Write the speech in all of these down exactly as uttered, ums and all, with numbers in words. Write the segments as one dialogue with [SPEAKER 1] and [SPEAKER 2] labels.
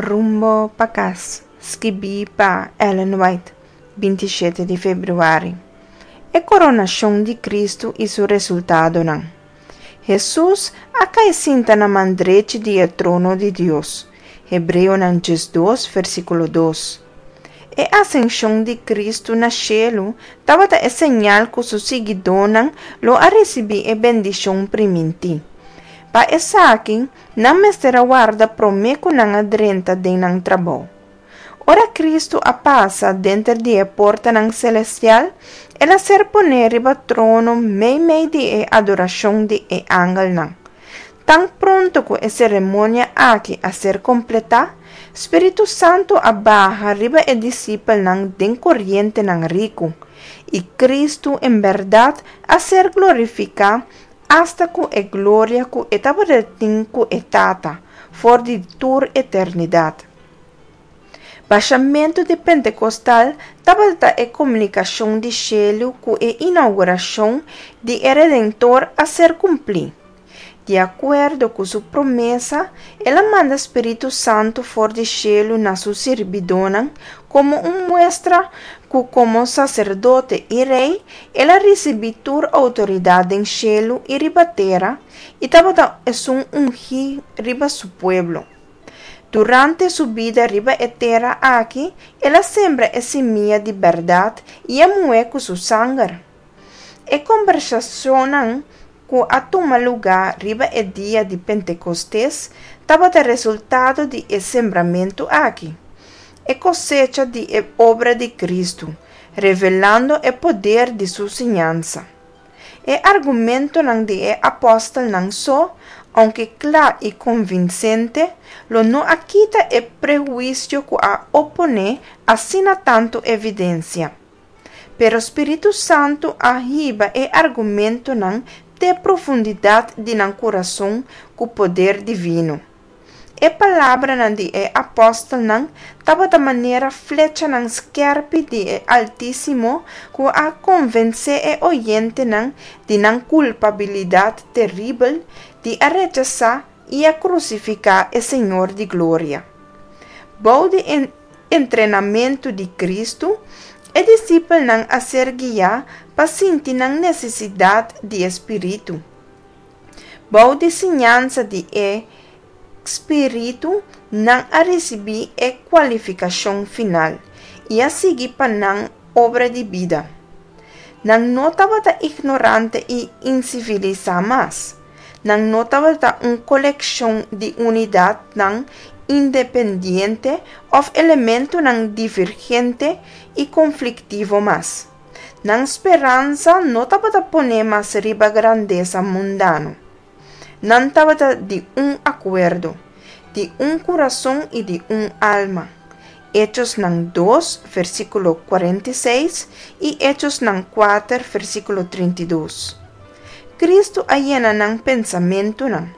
[SPEAKER 1] Rumbo pa Kas, skibí pa Ellen White, binti shete di febrüari. E koronashon di Kristu i su resultadonan. Hesus a kai sinta na man drechi di e trono di Dios. Hebreonan diesdos, versíkulo dos. E asenshon di Kristu na shelu tabata e señal ku su siguidónan lo a risibí e bendishon primintí. Pa esaki, nan mester a warda promé ku nan a drenta den nan trabou. Ora Kristu a pasa denter di e portanan selestial, el a ser poné riba trono meimei di e adorashon di e angelnan. Tan pronto ku e seremonia aki a ser kompletá, Spiritu Santu a baha riba e disipelnan den korientenan riku, i Kristu en bèrdat a ser glorifiká asta ku e gloria ku e tabatin ku e Tata for di tur eternidat. Bashamentu di Pentekostal tabata e komunikashon di shelu ku e inougurashon di e Redentor a ser kumplí. Di akuerdo ku su promesa, el a manda Spiritu Santu for di shelu na su sirbidónan komo un muestra ku komo saserdote i rei el a risibí tur outoridat den shelu i riba tera i tabata esun ungí riba su pueblo. Durante su bida riba e tera aki, el a sembra e simia di bèrdat i a muh'é ku su sanger. E kombersashonnan ku a tuma lugá riba e dia di Pentekostes tabata resultado di e sembramentu aki, e kosecha di e obra di Kristu, revelando e poder di su siñansa. E argumentonan di e apòstelnan so, ounke kla i konvinsente, lo no a kita e prehuisio ku a oponé asina tantu evidensia. Pero Spiritu Santu a hiba e argumentonan te profundidat di nan kurason ku poder divino. E palabranan di e apòstelnan tabata manera flechanan skèrpi di e Altísimo ku a konvensé e oyentenan di nan kulpabilidat teribel di a rechasá i a krusifiká e Señor di gloria. Bou di entrenamentu di Kristu, e disipelnan a ser guiá pa sinti nan nesesidat di e Spiritu. Bou di siñansa di e Spiritu, nan a risibí e kualifikashon final i a sigui pa nan obra di bida. Nan no tabata ignorante i insivilisá mas. Nan no tabata un kolekshon di unidatnan independiente òf elementonan divergente i konfliktivo mas. Nan speransa no tabata poné mas riba grandesa mundano. Nan tabata di un akuerdo, di un kurason i di un alma. Echosnan dos, versíkulo kuarenta i seis i Echosnan kuater, versíkulo trinta i dos. Kristu a yena nan pensamentunan.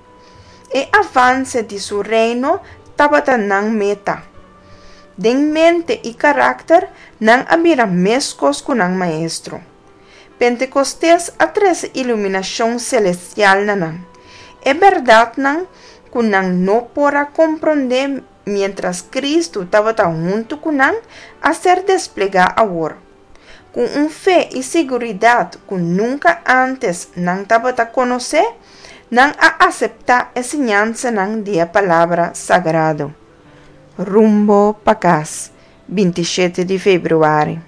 [SPEAKER 1] E avanse di su Reino tabata nan meta. Den mente i karakter nan a bira meskos ku nan Maestro. Pentekostes a trese iluminashon selestial na nan. E bèrdatnan ku nan no por a komprondé miéntras Kristu tabata huntu ku nan a ser desplegá awor. Ku un fe i siguridat ku nunka ántes nan tabata konosé, nan a aseptá e siñansanan di e Palabra Sagrado. Rumbo pa Kas, binti shete di febrüari.